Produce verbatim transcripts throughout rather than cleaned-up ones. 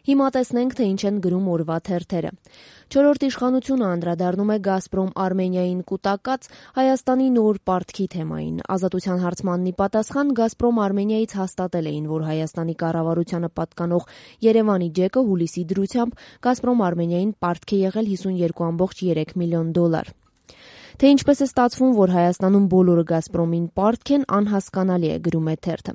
Հիմա տեսնենք, թե ինչ են գրում օրվա թերթերը։ Չորրորդ իշխանությունը անդրադառնում է «Գազպրոմ Արմենիային» կուտակած Հայաստանի նոր պարտքի թեմային։ Ազատության հարցմանն ի պատասխան «Գազպրոմ Արմենիայից» հաստատել էին, որ Հայաստանի կառավարությանը պատկանող Երևանի ջեկը հուլիսի դրությամբ «Գազպրոմ Արմենիային» պարտք է եղել հիսունյոթ կoma երեք միլիոն դոլար։ Թե ինչպես է ստացվում, որ Հայաստանում բոլորը «Գազպրոմին» պարտք են, անհասկանալի է, գրում է թերթը։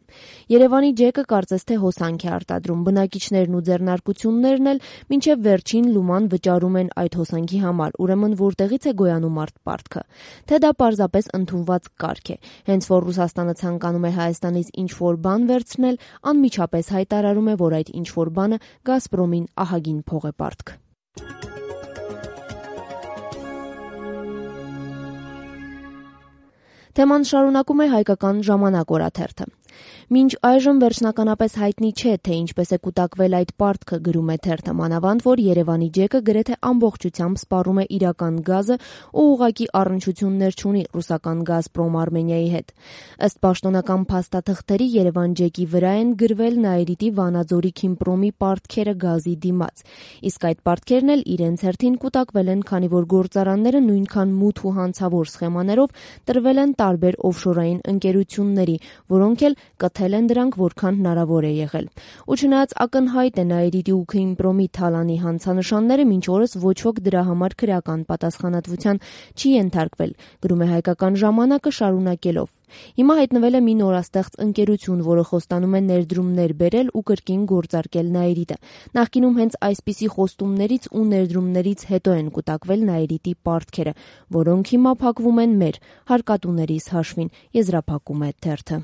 Երևանի ջեկը կարծես թե հոսանք է արտադրում, բնակիչներն ու ձեռնարկություններն էլ մինչև վերջին լուման վճարում են այդ հոսանքի համար, ուրեմն որտեղից է գոյանում արդ պարտքը։ Թե դա պարզապես ընդունված կարգ է։ Հենց որ Ռուսաստանը ցանկանում է Հայաստանից ինչ-որ բան վերցնել, անմիջապես հայտարարում է, որ այդ ինչ-որ բանը «Գազպրոմին» ահագին փող է պարտք։ Թեման շարունակում է հայկական ժամանակ օրաթերթը։ Մինչ այժմ վերջնականապես հայտնի չէ, թե ինչպես է կուտակվել այդ պարտքը, գրում է թերթը, մանավանդ որ Երևանի ջեկը գրեթե ամբողջությամբ սպառում է իրական գազը ու ուղղակի առնչություններ չունի ռուսական «Գազպրոմ Արմենիայի» հետ։ Ըստ պաշտոնական փաստաթղթերի Երևան ջեկի վրա են գրվել Նաիրիտի Վանաձորի Քիմպրոմի պարտքերը գազի դիմաց։ Իսկ այդ պարտքերն էլ իրենց հերթին կուտակվել են, քանի որ գործարանները նույնքան մութ ու հանցավոր սխեմաներով տրվել են տարբեր օֆշորային ընկերությունների, որոնք էլ կթել են դրանք որքան հնարավոր է եղել։ Ու չնայած ակնհայտ է Նաիրիտի ու Քիմպրոմի թալանի հանցանշանները, մինչ օրս ոչ ոք դրա համար քրեական պատասխանատվության չի ենթարկվել, գրում է հայկական ժամանակը շարունակելով։ Հիմա հայտնվել է մի նորաստեղծ ընկերություն, որը խոստանում է ներդրումներ բերել ու կրկին գործարկել Նաիրիտը։ Նախկինում հենց այսպիսի խոստումներից ու ներդրումներից հետո են կուտակվել Նաիրիտի պարտքերը, որոնք հիմա փակվում են մեր հարկատուներիս հաշվին, եզրափակում է թերթը։